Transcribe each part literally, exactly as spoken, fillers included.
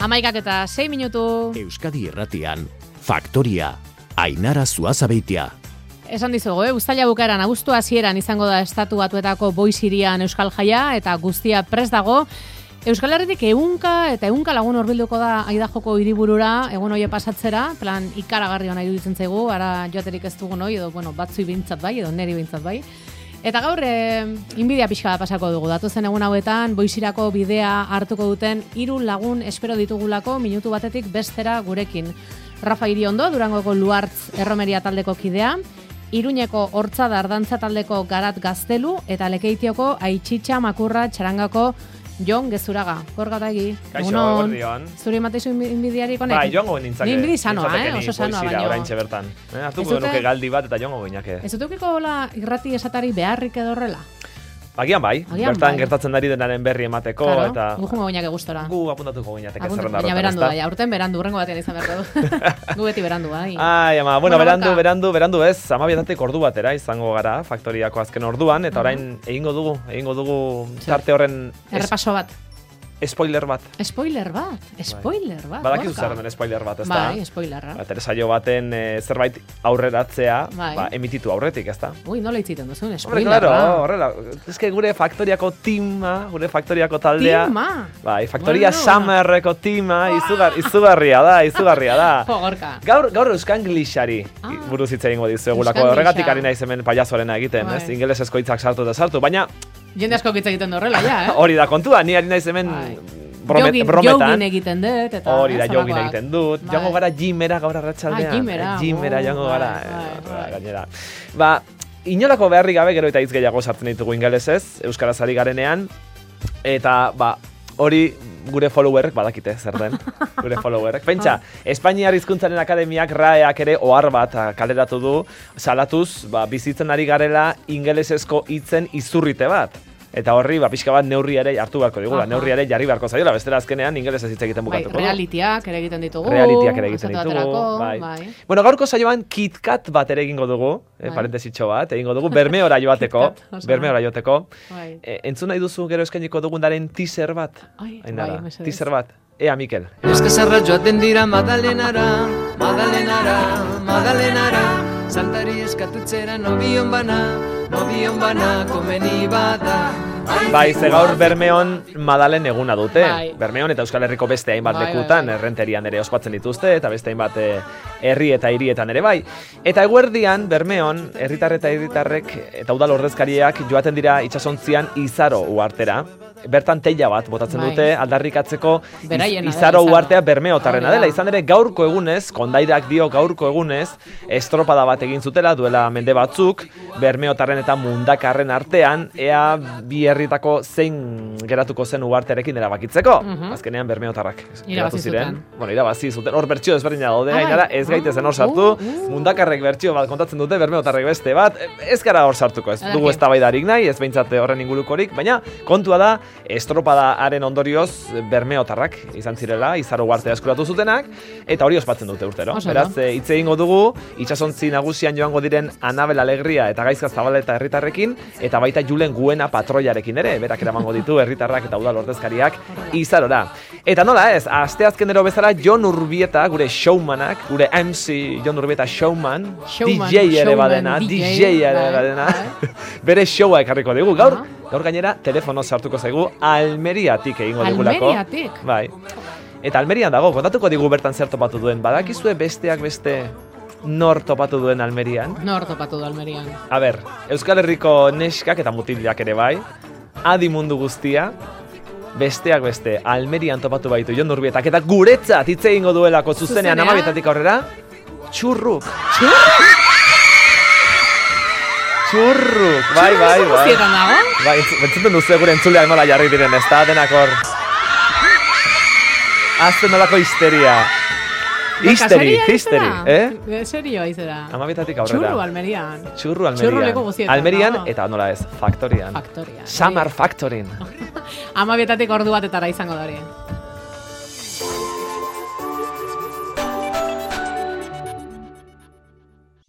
Amaikak eta sei minutu. Euskadi Irratian, Faktoria, Ainara Zuazabeitia. Esan dizugu, eh? Uztaila bukaeran, abuztu hasieran izango da Estatu Batuetako Boisirian Euskal Jaia eta guztia prest dago. Euskal Herritik ehunka eta ehunka lagun hurbilduko da Aidajoko hiriburura egun hoie pasatzera, plan ikaragarri ona iruditzen zaigu, ara joaterik ez dugun hoi, edo bueno, batzui bintzat bai, edo neri bintzat bai. Eta gaur, e, inbidia pixka da pasako dugu. Datozen egun hauetan, Boisirako bidea hartuko duten hiru lagun espero ditugulako minutu batetik bestera gurekin. Rafa Iriondo, Durangoko Luartz erromeria taldeko kidea, Iruñeko Hortza Dardantza taldeko Garat Gaztelu, eta Lekeitioko Aitxitxa Makurra Txarangako Jon Gezuraga. Gorgatagi. Kaixo, gordion. Zuri mateizu inbidiarik honek? Bai, jongo nintzake. Ni inbidi sanoa, eh? Oso sanoa baino. Oraintxe bertan. Eh, hartuko genuke galdi bat eta jongo goinake. Ez dukiko hola irrati esatari beharrik edo horrela? Agian bai, Agian bertan bai. Gertatzen dari denaren berri emateko. Claro, eta gu jungo goinake gustora. Gu apuntatuko goinateke Apuntu, zerrenda baina horretan, berandu ezta? da, ja, urten berandu, urrengo batean izan beharko du. Gu beti berandu, bai. Ai, ama, bueno, Bueno, berandu, Gorka. berandu, berandu ez, amabietatik ordu batera izango gara, Faktoriako azken orduan, eta orain egingo dugu, egingo dugu tarte horren es- Errepaso bat. spoiler bat. Spoiler bat, spoiler bat. Badakizu Gorka. zer den spoiler bat, ezta? Bai, spoilerra. Ba, telesaio baten eh, zerbait aurreratzea, Bai. ba, emititu aurretik, ezta? Ui, nola itziten duzun, Hombre, spoilerra. claro, horrela. Ez que gure Faktoriako tima, gure Faktoriako taldea. Tima? Bai, Faktoria Bueno. Summerreko tima, izugar, izugarria da, izugarria da. Jo, Gorka. Gaur, gaur Euskanglishari Ah. buruz hitz egingo dizuegulako. Euskangliша. Horregatik ari naiz hemen payasoarena egiten, Bai. ez? Ingelesezko hitzak sartu eta sartu, baina Jende asko hitz egiten du horrela, ja, eh? hori da kontua, ni ari naiz hemen Bai. bromet, Jogin- brometan. Jogin egiten dut, eta... Hori da, ez, jogin halakoak. egiten dut. Bai. Joango gara gymera gaur arratsaldean. Ah, gymera, Gymera oh, joango bai, gara. bai, eh, bai. Gainera. Ba, inolako beharrik gabe gero eta hitz gehiago sartzen ditugu ingelesez, euskaraz ari garenean, eta ba, hori gure followerrek badakite zer den, gure followerrek. Pentsa, Espainiar Hizkuntzaren Akademiak raeak ere ohar bat ah, kaleratu du, salatuz, ba, bizitzen ari garela ingelesezko hitzen izurrite bat. Eta horri, ba, pixka bat neurri ere hartu beharko digula, Aha. neurri ere jarri beharko zaiola, bestela azkenean ingelesez hitz egiten Bai, bukatuko du. realitiak ere egiten ditugu. Realitiak ere egiten esate ditugu, baterako, bai. bai. Bueno, gaurko saioan KitKat bat ere egingo dugu, eh, Bai. parentesitxo bat, egingo dugu, Bermeora joateko, KitKat, oso Bermeora joateko. Bai. E, entzun nahi duzu gero eskainiko dugunaren teaser bat? Ai, Ainara, bai, mesedez. teaser bat. Ea, Mikel. Eskazarra joaten dira Madalenara, Madalenara, Madalenara, Santari eskatutzera nobion bana, nobion bana komeni bada. Bai, ze gaur Bermeon Madalen eguna dute. Bai. Bermeon eta Euskal Herriko beste hainbat Bai, bai, lekutan, bai. errenterian ere ospatzen dituzte, eta beste hainbat eh, herri eta hirietan ere bai. Eta eguerdian, Bermeon, herritar eta herritarrek eta udal ordezkariak joaten dira itsasontzian Izaro uhartera. Bertan teila bat botatzen Bai. dute aldarrikatzeko Beraiena iz- dela, Izaro Izaro. uhartea Bermeotarrena Hori da. dela. Izan ere gaurko egunez, kondairak dio gaurko egunez, estropada bat egin zutela duela mende batzuk, Bermeotarren eta Mundakarren artean, ea bi herritako zein geratuko zen uhartearekin erabakitzeko. Mhm. Azkenean Bermeotarrak Irabazi geratu ziren. zuten. Bueno, irabazi zuten. Hor bertsio desberdina daude, Ah, bai. gainera ez gaitezen hor sartu. Uh, uh. Mundakarrek bertsio bat kontatzen dute, Bermeotarrek beste bat. Ez gara hor sartuko, ez dugu Ederki. eztabaidarik nahi, ez behintzat horren ingurukorik, baina kontua da estropadaaren ondorioz Bermeotarrak izan zirela, Izaro uhartea eskuratu zutenak, eta hori ospatzen dute urtero. Oso Beraz, ondo. e, hitz egingo dugu, itsasontzi nagusian joango diren Anabel Alegria eta Gaizka Zabaleta herritarrekin, eta baita Julen Guena patroiarekin ere, berak eramango ditu herritarrak eta udal ordezkariak Izarora. Eta nola ez, asteazkenero bezala Jon Urbieta, gure showmanak, gure M C Jon Urbieta showman, Showman, D J ere showman, badena, D D J, J ere bai, badena, bai. bere showa ekarriko digu. Gaur, Aha. gaur gainera telefono sartuko zaigu Almeriatik egingo digulako. Almeriatik? Bai. Eta Almerian dago, kontatuko digu bertan zer topatu duen. Badakizue besteak beste nor topatu duen Almerian? Nor topatu du Almerian. A ber, Euskal Herriko neskak eta mutilak ere bai, adi mundu guztia, besteak beste Almerian topatu baitu Jon Urbietak, eta guretzat hitz egingo duelako zuzenean Zuzenean? amabietatik aurrera, txurruk. Txurruk, bai, bai, bai. Guztietan dago? Bai, entzuten duzu gure entzuleak nola jarri diren, ez da, denak hor. Azten nolako histeria. Histeri, Seria histeri, izera? eh? Serio izera. Amabietatik aurrera. Txurru Almerian. Txurru Almerian. Txurru leku guztietan, Almerian dago. eta nola ez, Faktorian. Faktoria. Summer Factorin. Amabietatik ordu batetara izango da hori.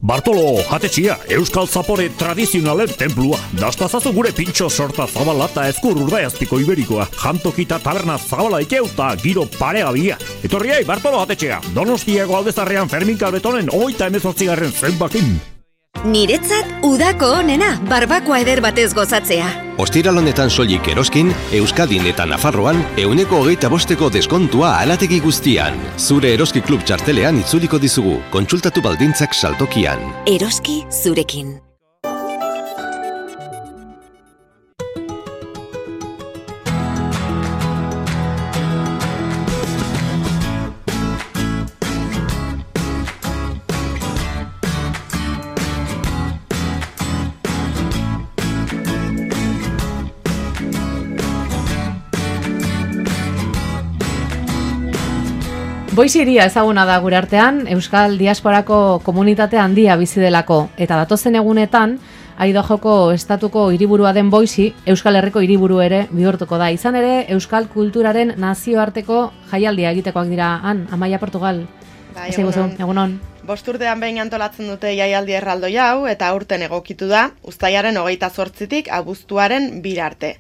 Bartolo, jatetxia, Euskal Zapore tradizionalen templua. Dastazazu gure pintxo sorta zabala eta ezkur urdaiazpiko iberikoa. Jantokita taberna zabala ikeuta giro paregabia. Etorriai, Bartolo, jatetxea. Donostiako aldezarrean Fermin Kalbetonen oita emezortzigarren zenbakin. Niretzat udako onena, barbakoa eder batez gozatzea. Ostiral honetan soilik Eroskin, Euskadin eta Nafarroan, euneko hogeita bosteko deskontua alategi guztian. Zure Eroski Klub txartelean itzuliko dizugu, kontsultatu baldintzak saltokian. Eroski zurekin. Boiziria ezaguna da gure artean, Euskal Diasporako komunitate handia bizi delako, eta datozen egunetan, Aidojoko estatuko hiriburua den Boizi, Euskal Herriko hiriburu ere bihurtuko da. Izan ere, Euskal kulturaren nazioarteko jaialdia egitekoak dira han, Amaia Portugal. Bai, egunon. Egunon. Bosturtean behin antolatzen dute jaialdi erraldoi hau, eta aurten egokitu da, uztailaren hogeita zortzitik abuztuaren bira arte.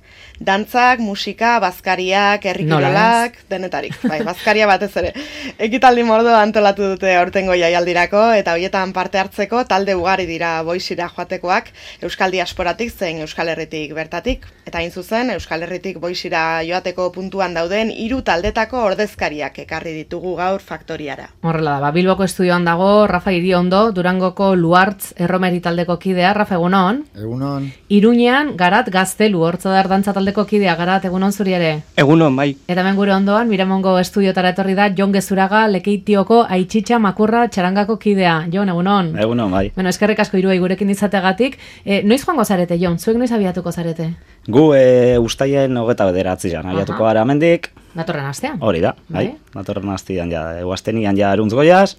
Dantzak, musika, bazkariak, herrikirolak, denetarik. Bai, bazkaria batez ere. Ekitaldi mordo antolatu dute aurtengo jaialdirako, eta hoietan parte hartzeko talde ugari dira Boizira joatekoak, Euskal Diasporatik zein Euskal Herritik bertatik. Eta hain zuzen, Euskal Herritik Boizira joateko puntuan dauden hiru taldetako ordezkariak ekarri ditugu gaur faktoriara. Horrela da, Bilboko estudioan dago Rafa Iriondo, Durangoko Luartz erromeri taldeko kidea. Rafa, egunon? Egunon. Iruñean, Garat Gaztelu, Hortzadar dantza taldeko kidea. Garat, egunon zuri ere? Egunon, bai. Eta hemen gure ondoan, Miramongo estudiotara etorri da Jon Gezuraga, Lekeitioko Aitxitxa Makurra txarangako kidea. Jon, egunon? Egunon, bai. Bueno, eskerrik asko hiruei gurekin izategatik. E, noiz joango zarete, Jon? Zuek noiz abiatuko zarete? Gu e, ustaien hogeta bederatzian abiatuko gara hemendik. Datorren astean? Hori da, bai. Datorren astean ja, eguaztenian ja eruntz goiaz.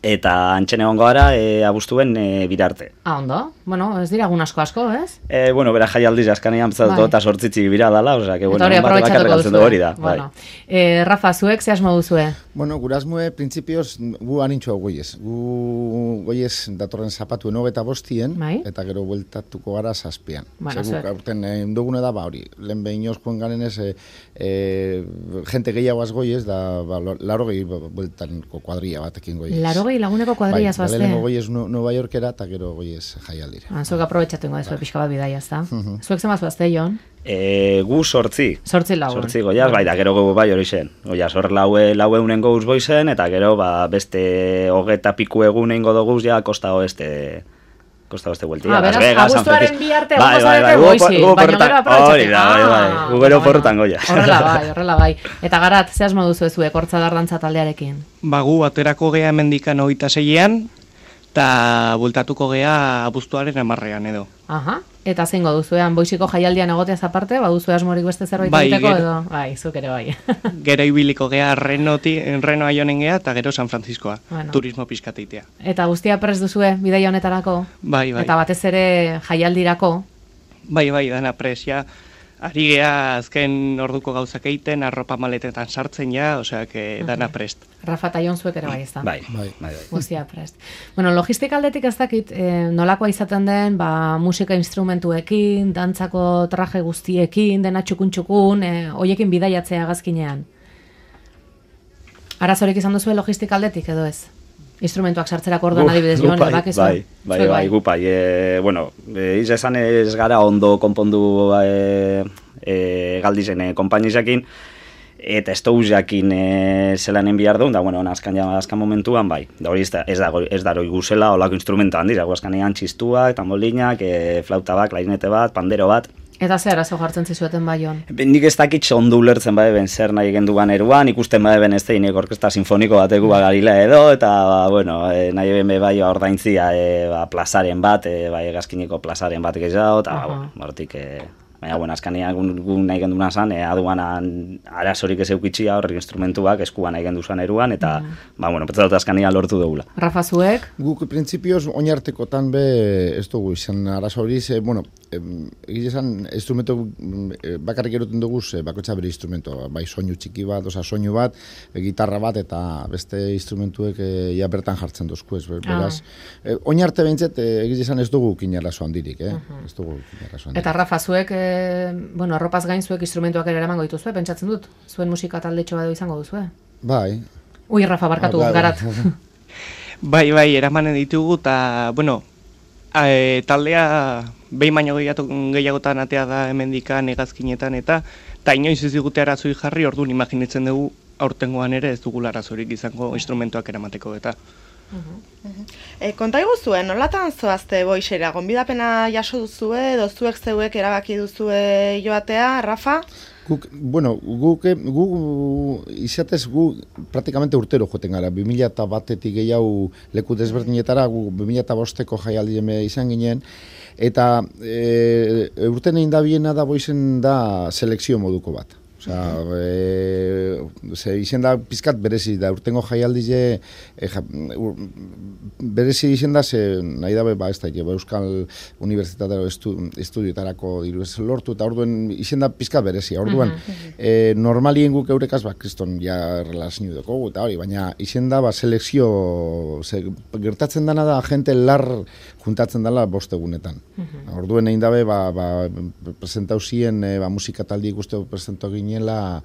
Eta antxen egongo gara e, abuztuen e, birarte. Ah, ondo? Bueno, ez dira egun asko asko, ez? E, bueno, bera jaialdiz askanean bezatu bai. Eta sortzitzi bira dala, osea, que bueno, hori aprobetxatuko duzu. Hori da, bueno. bai. E, Rafa, zuek ze asmo duzue? Bueno, gure asmoe, printzipioz, gu anintxo goiez. Gu goiez datorren zapatuen hogeta bostien, bai? Eta gero bueltatuko gara zazpian. Bueno, Zegu, aurten eh, dugune da, ba, hori, lehen behin joan garen ez, e, e, gente gehiagoaz goiez, da, ba, laro gehi bueltanko kuadria batekin goiez. Laro gehi laguneko kuadria bai, zoazte? Bai, lehenko goiez Nueva Yorkera, eta gero goiez jaialdira. Ah, zuek aprobetxatu ingo dezu pixka bat bidaia, ez da? Zuek zemaz bazte, Jon? E, gu sortzi. Sortzi lagun. Sortzi goiaz, bai, da gero gu bai hori zen. Goiaz, hor laue, laue unen gouz boizen, eta gero, ba, beste hogeta piku egun eingo doguz, ja, kosta oeste, kosta oeste bueltia. Ah, beraz, abuztuaren bi arte egun zarete Boizi, baina gero aprobetxatu. Hori da, bai, bai, gu gero porrotan goiaz. Horrela bai, horrela bai. Eta Garat, ze asmo duzu ezuek Hortzadar dantza taldearekin? Ba, gu aterako gea hemendikan hogeita seian, eta bultatuko gea abuztuaren hamarrean edo. Aha, eta zeingo duzuean Boiziko jaialdian egoteaz aparte, baduzu asmorik beste zerbait bai, egiteko ger... edo? Bai, zuk ere bai. Gero ibiliko gea Renoti, Renoa joanen gea, eta gero San Franciscoa, bueno. Turismo pizkateitea. Eta guztia prest duzue bidaia honetarako? Bai, bai. Eta batez ere jaialdirako? Bai, bai, dana presia. Ari gea azken orduko gauzak egiten, arropa maletetan sartzen ja, osea, que dana prest. Rafa eta Jon zuek ere bai, ez da? Bai, bai, bai. Guztia prest. Bueno, logistika aldetik ez dakit, eh, nolakoa izaten den, ba, musika instrumentuekin, dantzako traje guztiekin, dena txukun-txukun, eh, hoiekin bidaiatzea gazkinean. Arazorik izan duzue logistika aldetik edo ez? Instrumentuak sartzerako orduan adibidez joan, bai, bakizu? Bai, bai, bai, bai, gupai. E, bueno, e, iz esan ez gara ondo konpondu e, e, galdizen e, konpainizakin, eta ez dauz jakin e, zelanen bihar duen, da, bueno, azkan, ja, azkan momentuan, bai, da hori ez da, ez da, ez da hori guzela olako instrumenta handiz, azkanean txistuak, tambolinak, e, flauta bat, klarinete bat, pandero bat. Eta zer arazo jartzen zizueten bai, Jon? Nik ez dakit ondo ulertzen bai ben zer nahi genduan eruan, ikusten bai ben ez da inek orkesta sinfoniko bateko bagarila edo, eta, ba, bueno, e, nahi ben bai ordaintzia e, ba, plazaren bat, e, bai egazkineko plazaren bat gehiago, eta, uh -huh. ba, hortik, e, Baina, bueno, azkanean gu nahi genduna zan, e, aduanan arazorik ez eukitxia horrek instrumentuak eskuan nahi gendu zan eruan, eta, mm. ba, bueno, petzat azkanean lortu dugula. Rafa, zuek? Guk, printzipioz, oinartekotan be, ez dugu izan arazo hori, ze, bueno, egiz esan, instrumento bakarrik eruten dugu, bakotxa bere instrumento, bai soinu txiki bat, oza, soinu bat, gitarra bat, eta beste instrumentuek e, ja bertan jartzen duzku, ez, beraz. Ah. E, oinarte behintzet, egiz esan ez dugu kinarazo handirik, eh? Uh-huh. Ez dugu kinarazo handirik. Eta Rafa, zuek, e, bueno, arropaz gain zuek instrumentuak ere eramango dituzue, pentsatzen dut? Zuen musika taldetxo bat izango duzue? Bai. Ui, Rafa, barkatu, ah, bai, garat. Bai, bai, eramanen ditugu, eta, bueno, e, taldea behin baino gehiagotan atea da hemendikan hegazkinetan, eta eta inoiz ez digute arazoi jarri, orduan imaginitzen dugu aurtengoan ere ez dugula arazorik izango instrumentuak eramateko eta. Uh-huh. Uh-huh. E, konta iguzuen, nolatan zoazte boixera, gonbidapena jaso duzue, edo zuek zeuek erabaki duzue joatea, Rafa? Guk, bueno, guk, guk izatez gu praktikamente urtero joten gara, bi mila batetik gehiago leku desberdinetara, gu bi mila bosteko jaialdi izan ginen, eta e, urten egin da biena da boizen da selekzio moduko bat. Osea, e, ze izen da pizkat berezi da, urtengo jaialdize e, ja, berezi izen da, ze nahi dabe, ba, ez da, Euskal Unibertsitatero estu, estudioetarako diru ez lortu, eta orduen izen da pizkat berezi, orduan, uh-huh. e, normalien guk eurekaz, ba, kriston ja relazio dugu, eta hori, baina izen da, ba, selekzio, ze, gertatzen dana da, gente lar juntatzen dela bostegunetan. Uh-huh. Orduen egin dabe, ba, ba, presentau ziren, e, ba, musika taldi ikuste presentau ginen, la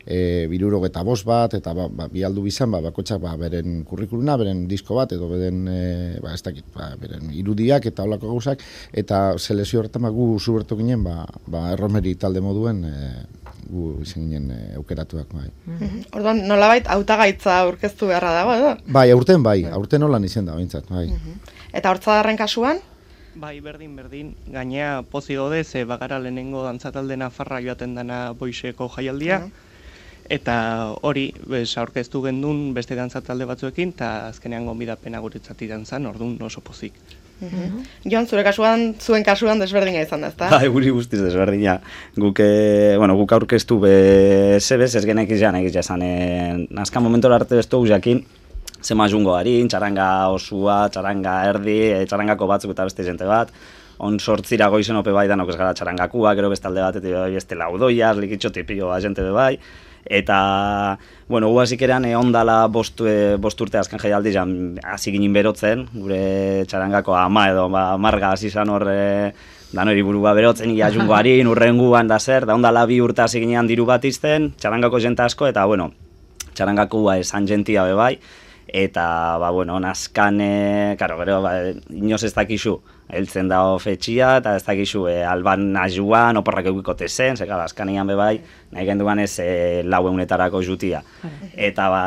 e, birurog eta bost bat, eta ba, ba, bialdu bizan, ba, bakotxak ba, beren kurrikuluna, beren disko bat, edo beren, e, ba, ez dakit, ba, beren irudiak eta holako gauzak, eta selezio horretan ba, gu zubertu ginen, ba, ba, erromeri talde moduen, e, gu izan ginen e, aukeratuak. Bai. Mm-hmm. Orduan, nolabait hautagaitza aurkeztu beharra dago, edo? Bai, aurten bai, aurten holan izan da, bintzat, bai. Mm-hmm. Eta hortzadarren kasuan? Bai, berdin, berdin. Gainea pozi gaude, ze bagara lehenengo dantzatalde nafarra joaten dana boixeko jaialdia. Uh-huh. Eta hori, bez, aurkeztu gendun beste dantzatalde batzuekin, eta azkenean gonbidapena guretzat izan zen, orduan oso pozik. Uh-huh. Jon, zure kasuan, zuen kasuan desberdina izan da, ezta? Bai, guri guztiz desberdina. Guk, bueno, guk aurkeztu be zebez, ez genek izan, egiz jazan, nazkan momentora arte ez dugu jakin, zema jungo harin, txaranga osua, txaranga erdi, e, txarangako batzuk eta beste jente bat. On sortzira goizen ope bai danok ez gara txarangakua, gero bestalde bat, eta beste laudoiaz, likitxo tipio jente be bai. Eta, bueno, gu hasik eran, e, ondala bost, e, bost urte azken jaialdi jan hasi ginen berotzen, gure txarangako ama edo ba, marga hasi zan hor, e, danori burua berotzen, ia jungo harin, urrenguan da zer, da ondala bi urte hasi ginean diru bat izten, txarangako jente asko, eta, bueno, txarangakua esan jentia be bai, eta, ba, bueno, nazkan, e, karo, gero, ba, inoz ez dakizu, heltzen da fetxia, eta ez dakizu, e, alban ajuan, oporrak eukikote zen, ze, gara, azkanian bebai, nahi genduan ez e, lau eunetarako jutia. Eta, ba,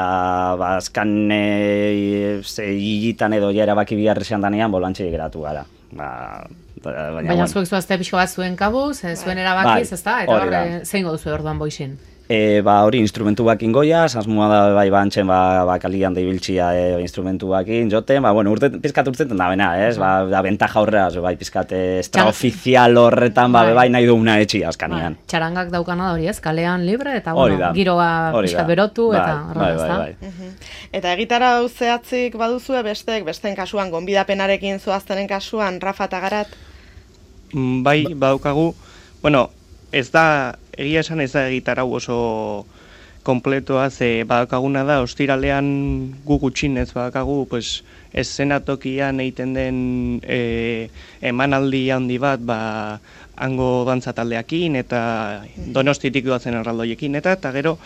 ba azkan, e, ze, higitan edo jera baki biharrezian danean, bolantxe geratu gara. Ba, baina, baina bueno. Zuek zuazte pixko bat zuen kabuz, zuen erabakiz, ez da? Eta horre, zein godu orduan boixin? E, ba, hori instrumentu bakin goia, asmoa da bai bantxen ba, ba kalian deibiltzia e, instrumentu bakin joten, ba, bueno, urte, pizkat urtzeten da bena, ez? Ba, da bentaja horrea, bai, pizkat extraoficial horretan, ba, bai, nahi duguna etxi azkanian. Bai. Txarangak daukana da hori, ez? Kalean libre, eta, bueno, giroa pizkat berotu, bai, eta bai, bai, bai, bai. Uh-huh. Eta egitara zehatzik baduzue bestek, besten kasuan, gonbidapenarekin zoaztenen kasuan, Rafa eta Garat? Mm, bai, badaukagu, bueno, ez da, egia esan ez da egitarau oso kompletoa, ze badakaguna da, ostiralean gu gutxinez badakagu, pues, eszenatokian egiten den e, emanaldi handi bat, ba, hango dantzataldeakin eta Donostitik doazen erraldoiekin, eta eta gero,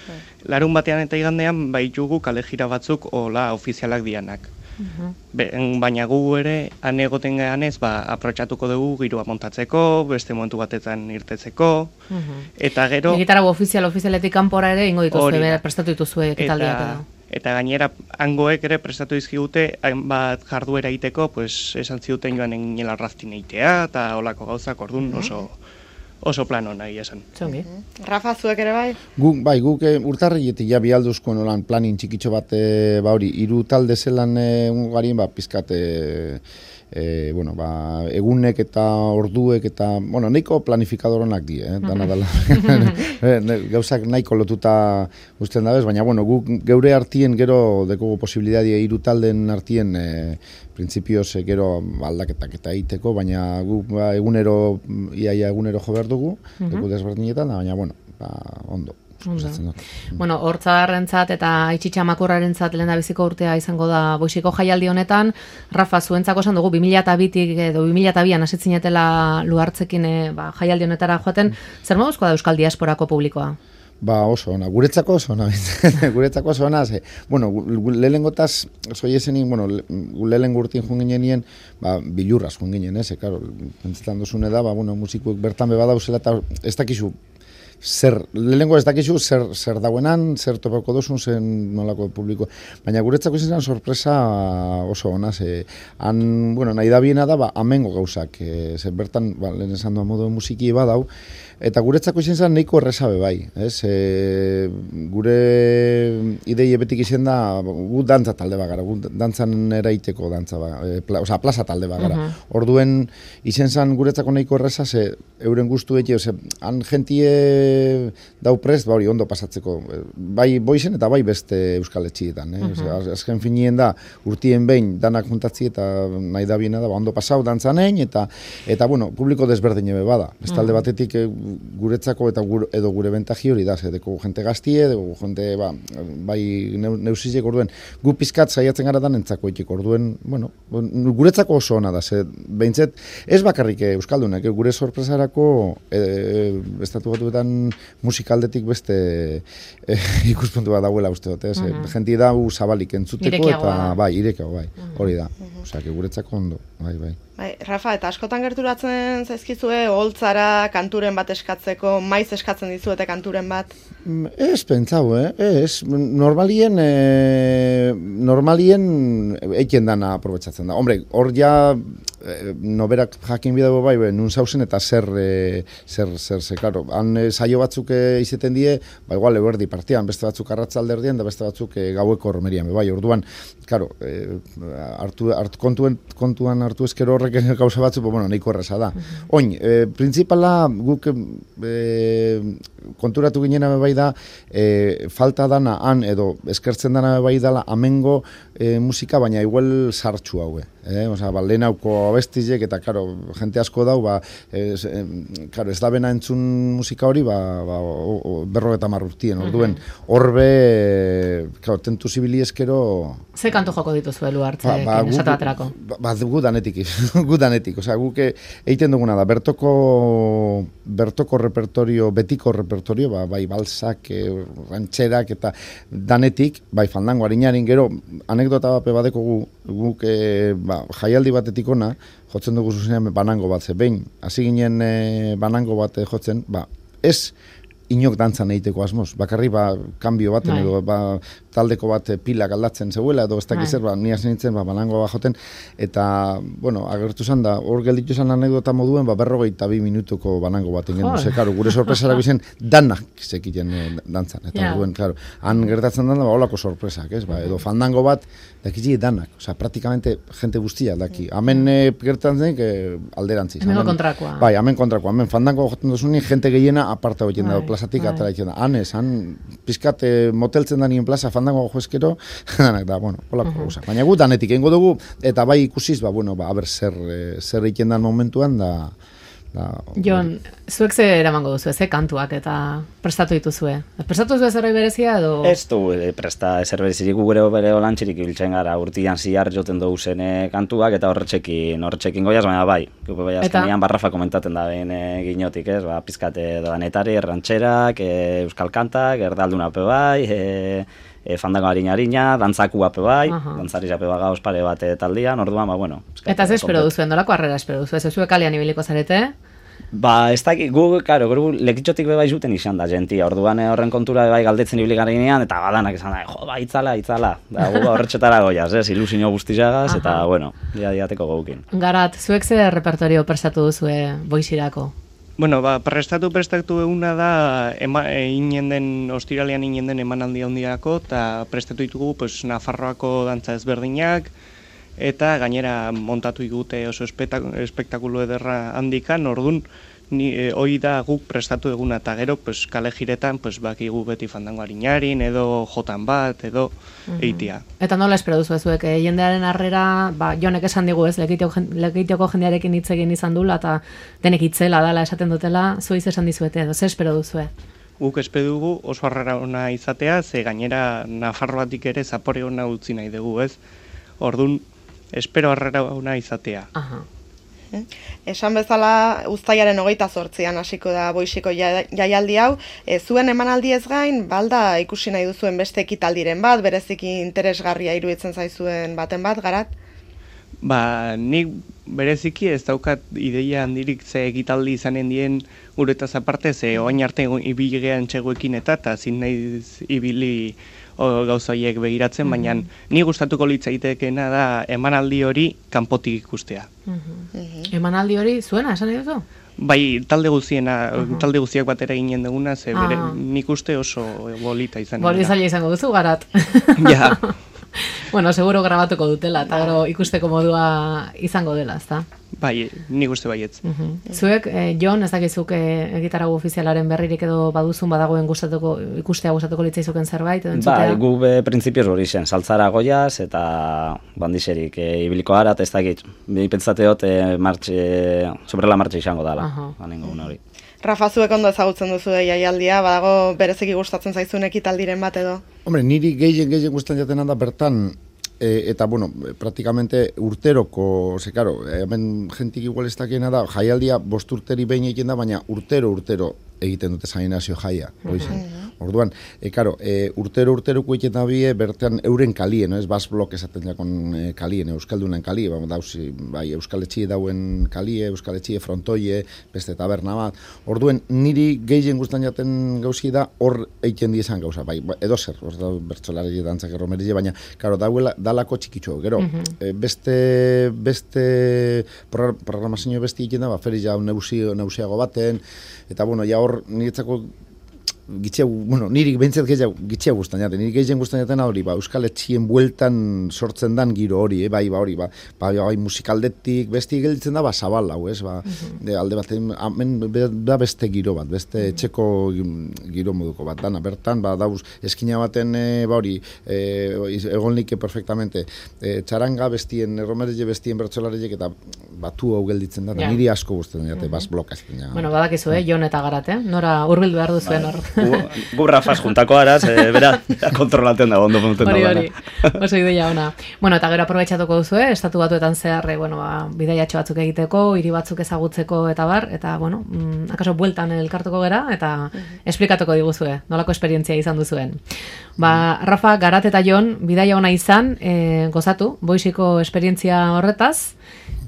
larun batean eta igandean baitugu kalejira batzuk ola ofizialak dianak. Uh-huh. Be, baina gu ere, han egoten gehanez, ba, aprotxatuko dugu giroa montatzeko, beste momentu batetan irtetzeko, uh-huh. eta gero... Egitarago ofizial, ofizialetik kanpora ere, ingo dituzue, prestatu dituzue ekitaldiak edo. Eta gainera, hangoek ere prestatu dizkigute, hainbat jarduera egiteko, pues, esan ziuten joan enginela raftin eitea, eta olako gauzak orduan oso... oso plano nahi esan. Zongi. Rafa, zuek ere bai? Guk, bai, guk e, urtarrietik ja bialduzko nolan planin txikitxo bat, e, ba hori, hiru talde zelan e, ungarien, ba, pizkat, e, e, bueno, ba, egunek eta orduek eta, bueno, nahiko planifikadorenak die, eh? Dana dela. Gauzak nahiko lotuta usten dabez, baina, bueno, gu, geure artien gero dekogu posibilidadia hiru talden artien e, printzipioz e, gero aldaketak eta egiteko, baina gu ba, egunero, iaia egunero jo behar dugu, uh-huh. Deku desberdinetan, baina, bueno, ba, ondo. Ondo. Bueno, hortzadarrentzat eta Aitzitia Makurrarentzat lehendabiziko urtea izango da Boixiko jaialdi honetan. Rafa, zuentzako esan dugu bi mila bitik edo bi mila bian hasitzinetela Luartzekin e, ba, jaialdi honetara joaten. Zer moduzkoa da Euskal Diasporako publikoa? Ba, oso ona, guretzako oso ona, guretzako oso ona, ze, bueno, lehengotaz, zoi esenin, bueno, lehen gurtin joan ginen, ba, bilurraz joan ginen, ez, e, karo, pentsetan duzune da, ba, bueno, musikuek bertan beba dauzela, eta ez dakizu, zer, lehengo ez dakizu, zer, zer dauenan, zer topako duzun, zen nolako publiko, baina guretzako izan sorpresa oso ona, ze, han, bueno, nahi da biena da, ba, amengo gauzak, e, ze, bertan, ba, lehen esan doa modu musiki badau, eta guretzako izan zen nahiko errezabe bai, ez? E, gure idei ebetik izan da, gu dantza talde bagara, gu dantzan eraiteko dantza bagara, e, pla, oza, plaza talde bagara. Uh-huh. Orduen izan zen guretzako nahiko erreza, ze euren guztu eki, ze, han jentie dau prest, ba hori ondo pasatzeko, bai boizen eta bai beste euskal etxietan, eh? Uh-huh. Ze, azken finien da, urtien behin danak juntatzi eta nahi da biena da, ba, ondo pasau dantzanein, eta, eta bueno, publiko desberdin ebe bada. Ez talde uh-huh. batetik, guretzako eta gure, edo gure bentaji hori da, zedeko jente gaztie, edo jente, ba, bai neusizek orduen, gu pizkat saiatzen gara da nentzako ikik orduen, bueno, guretzako oso ona da, ze, behintzet, ez bakarrik Euskaldunak, gure sorpresarako e, e, estatu batuetan musikaldetik beste e, ikuspuntu bat dauela uste dut, ez, uh-huh. Jenti da u zabalik entzuteko Irekiago, eta, bai, irekau, bai, hori da, uh-huh. Osea, guretzako ondo, bai, bai. Bai, Rafa, eta askotan gerturatzen zaizkizue, oholtzara kanturen bat eskatzeko, maiz eskatzen dizuete kanturen bat? Ez, pentsau, eh? Ez, normalien, e, normalien eiken dana aprobetsatzen da. Hombre, hor ja, e, noberak jakin bidago bai, be, nun zauzen eta zer, e, zer, zer, zer, karo. Han e, saio batzuk e, izeten die, ba, igual, eberdi partian, beste batzuk arratzalderdien, da beste batzuk e, gaueko hormerian, bai, orduan, karo, e, hartu, hartu, kontuen, kontuan hartu ezkero horrek gauza batzu, bueno, nahiko erreza da. Uh-huh. Oin, e, principala guk e, konturatu ginena bai da, e, falta dana han edo eskertzen dana bai dala amengo e, musika, baina igual sartxu haue. Eh? Osa, ba, lehen hauko abestizek eta, karo, jente asko dau, ba, ez, e, karo, ez da bena entzun musika hori, ba, ba, berro eta marrurtien, orduen, horbe, karo, tentu zibili eskero... Ze kantu joko dituzu elu hartze, ba, ba, esatu baterako? Ba, ba, gu danetik, gu danetik, osea, guk egiten duguna da, bertoko, bertoko repertorio, betiko repertorio, ba, bai balsak, e, rantxerak eta danetik, bai fandango harinarin gero, anekdota bat badeko gu, guk e, ba, jaialdi batetik ona, jotzen dugu zuzenean banango bat, ze behin, hasi ginen e, banango bat jotzen, ba, ez inok dantzan egiteko asmoz, bakarri ba, kanbio baten, edo ba, taldeko bat pilak aldatzen zegoela, edo ez dakiz zer, ba, ni hasi nintzen, ba, banango bat joten, eta, bueno, agertu zan da, hor gelditu zan anekdota moduen, ba, berrogeita bi minutuko banango bat ingen duze, karo, gure sorpresara bizen, danak zekiten e, dantzan, eta yeah. Duen, karo, han gertatzen da, ba, holako sorpresak, ez, ba, edo fandango bat, dakizi danak, oza, praktikamente jente guztia daki, hemen e, gertatzen zen, e, alderantziz. Hemen kontrakoa. Bai, hemen kontrakoa, hemen fandango joten duzunik, jente gehiena aparta hoiten da, plazatik atara egiten da. Han ez, han pizkat e, moteltzen da nien plaza, fandango joezkero, danak da, bueno, holako uh-huh. Gauza. Baina gu danetik egingo dugu, eta bai ikusiz, ba, bueno, ba, aber zer, e, zer egiten da momentuan, da... da Jon, zuek ze eramango duzu, ze kantuak eta prestatu dituzue? Prestatu duzu zerbait berezia edo? Ez du, e, presta zer berezirik gure bere olantxirik ibiltzen gara, urtian zihar joten dugu zen kantuak, eta horretxekin, horretxekin goiaz, baina bai, gupe bai azkenean barrafa komentaten da behin e, ginotik, ez, ba, pizkate danetari, errantxerak, e, euskal kantak, erdalduna pe bai, e, E, fandango harina-harina, dantzaku ape bai, uh-huh. Dantzari ape baga ospare bat taldian, orduan, ba, bueno. Eta ez espero duzu, endolako harrera espero duzu, ez zuek kalean ibiliko zarete? Ba, ez da, gu, karo, gu lekitxotik bebai zuten izan da, gentia, orduan horren kontura bebai galdetzen ibili garenean, eta badanak izan da, jo, ba, itzala, itzala, da, gu horretxetara goiaz, ez, ilusio guztizagaz, eta, bueno, dia-diateko gaukin. Garat, zuek ze repertorio prestatu duzue Boixirako? Bueno, ba, prestatu prestatu eguna da, ema, e, inen den, ostiralean inen den emanaldi handiako, eta prestatu ditugu, pues, Nafarroako dantza ezberdinak, eta gainera montatu igute oso espektakulo ederra handikan, ordun ni e, hoi da guk prestatu eguna eta gero pues, kale jiretan pues, bakigu beti fandango harinarin edo jotan bat edo mm-hmm. eitia. Eta nola espero duzu ezuek, e, jendearen harrera, ba, jonek esan digu ez, lekeitioko jendearekin hitz egin izan dula eta denek itzela dala esaten dutela, zuiz esan dizuete edo, ze espero duzue? Guk espero dugu oso harrera ona izatea, ze gainera Nafarroatik ere zapore ona utzi nahi dugu ez, ordun espero harrera ona izatea. Aha. Esan bezala uztailaren hogeita zortzian hasiko da Boixiko jaialdi hau, e, zuen emanaldi ez gain, balda ikusi nahi duzuen beste ekitaldiren bat, bereziki interesgarria iruditzen zaizuen baten bat, Garat? Ba, nik bereziki ez daukat ideia handirik ze ekitaldi izanen dien guretaz aparte, ze oain arte ibili gehan txegoekin eta eta zin nahi ibili gauza horiek begiratzen, mm-hmm. baina ni gustatuko litzaitekeena da emanaldi hori kanpotik ikustea. Mm-hmm. Emanaldi hori zuena, esan nahi duzu? Bai, talde guziena, uh-huh. talde guziak batera ginen duguna, ze bere, ah. nik uste oso bolita izan. Boli zaila izango duzu, Garat. Ja. Bueno, seguro grabatuko dutela, eta gero ikusteko modua izango dela, ezta? Bai, nik uste baietz. Uh-huh. Zuek, eh, Jon, ez dakizuk eh, gitarago ofizialaren berririk edo baduzun badagoen gustatuko, ikustea gustatuko litzaizuken zerbait, edo entzutea? Bai, gu be printzipioz hori zen, saltzara goiaz eta bandiserik e, ibiliko harat, ez dakit, behi pentsateot e, martxe, sobrela martxe izango dela, uh-huh. anengo una hori. Rafa, zuek ondo ezagutzen duzu jaialdia, badago bereziki gustatzen zaizun ekitaldiren bat edo? Hombre, niri gehien gehien gustatzen jaten da bertan, e, eta bueno, praktikamente urteroko, ze karo, hemen jentik igual ez dakiena da, jaialdia bost urteri behin egiten da, baina urtero urtero egiten dute Sainazio jaia, hori zen. Orduan, e, karo, e, urtero urteroko egiten da bie, bertean euren kalien, no? Ez bas blok esaten jakon e, kalien, euskaldunen kalie, ba, dauzi, bai, euskaletxie dauen kalie, euskaletxie frontoie, beste taberna bat. Orduen, niri gehien guztan jaten gauzi da, hor egiten diezan gauza, bai, edo zer, hor da bertsolari dantzak erromerile, baina, karo, dauela, dalako txikitxo, gero, mm-hmm. e, beste, beste programazio besti egiten da, ba, feri ja neusiago baten, eta, bueno, ja hor, niretzako gitxea, bueno, niri bentzat gehiago gitxea guztan jaten, niri gehien guztan jaten hori, ba, Euskal Etxien bueltan sortzen dan giro hori, eh, bai, ba, hori, ba, ba, bai, musikaldetik, besti gelditzen da, ba, zabal hau, ez, ba, uh-huh. de, alde bat, hemen da beste giro bat, beste uh-huh. etxeko giro moduko bat, dana, bertan, ba, dauz, eskina baten, e, ba, hori, e, egon like perfectamente, e, txaranga bestien, erromerile bestien bertsolarek eta batu hau gelditzen da, yeah. niri asko guztan jate, uh-huh. bas blokazten. Ja. Bueno, badakizu, eh, Jon eta Garat, eh, nora hurbildu behar duzuen hor. Gu Rafaz juntako araz, e, bera, kontrolatzen da, ondo punten da. Hori, hori, oso ideia ona. Bueno, eta gero aprobetxatuko duzu, eh? Estatu batuetan zehar, bueno, ba, bidaiatxo batzuk egiteko, hiri batzuk ezagutzeko eta bar, eta, bueno, mm, akaso bueltan elkartuko gera, eta uh-huh. esplikatuko diguzue, nolako esperientzia izan duzuen. Ba, Rafa, Garat eta Jon, bidaia ona izan, e, gozatu, Boixiko esperientzia horretaz,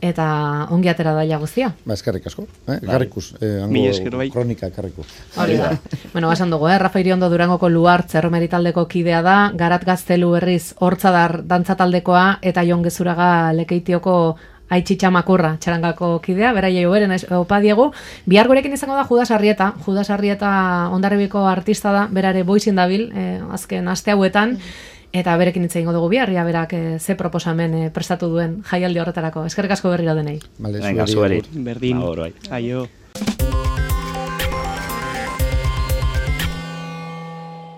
eta ongi atera daia guztia. Ba, eskerrik asko, eh? Garrikus, eh, hango kronika karriku. Hori da. Bueno, basan dugu, eh? Rafa Iriondo Durangoko Luartz erromeri taldeko kidea da, Garat Gaztelu berriz Hortzadar dantza taldekoa, eta Jon Gezuraga Lekeitioko Aitxitxa Makurra txarangako kidea, beraiei oberen opa diegu. Bihar gurekin izango da Judas Arrieta, Judas Arrieta Hondarribiko artista da, berare Boixin dabil, eh, azken aste hauetan, eta berekin hitz egingo dugu bihar, ia berak e, ze proposamen e, prestatu duen jaialdi horretarako. Eskerrik asko berriro denei. Vale, venga, zueri. Berdin. Aio.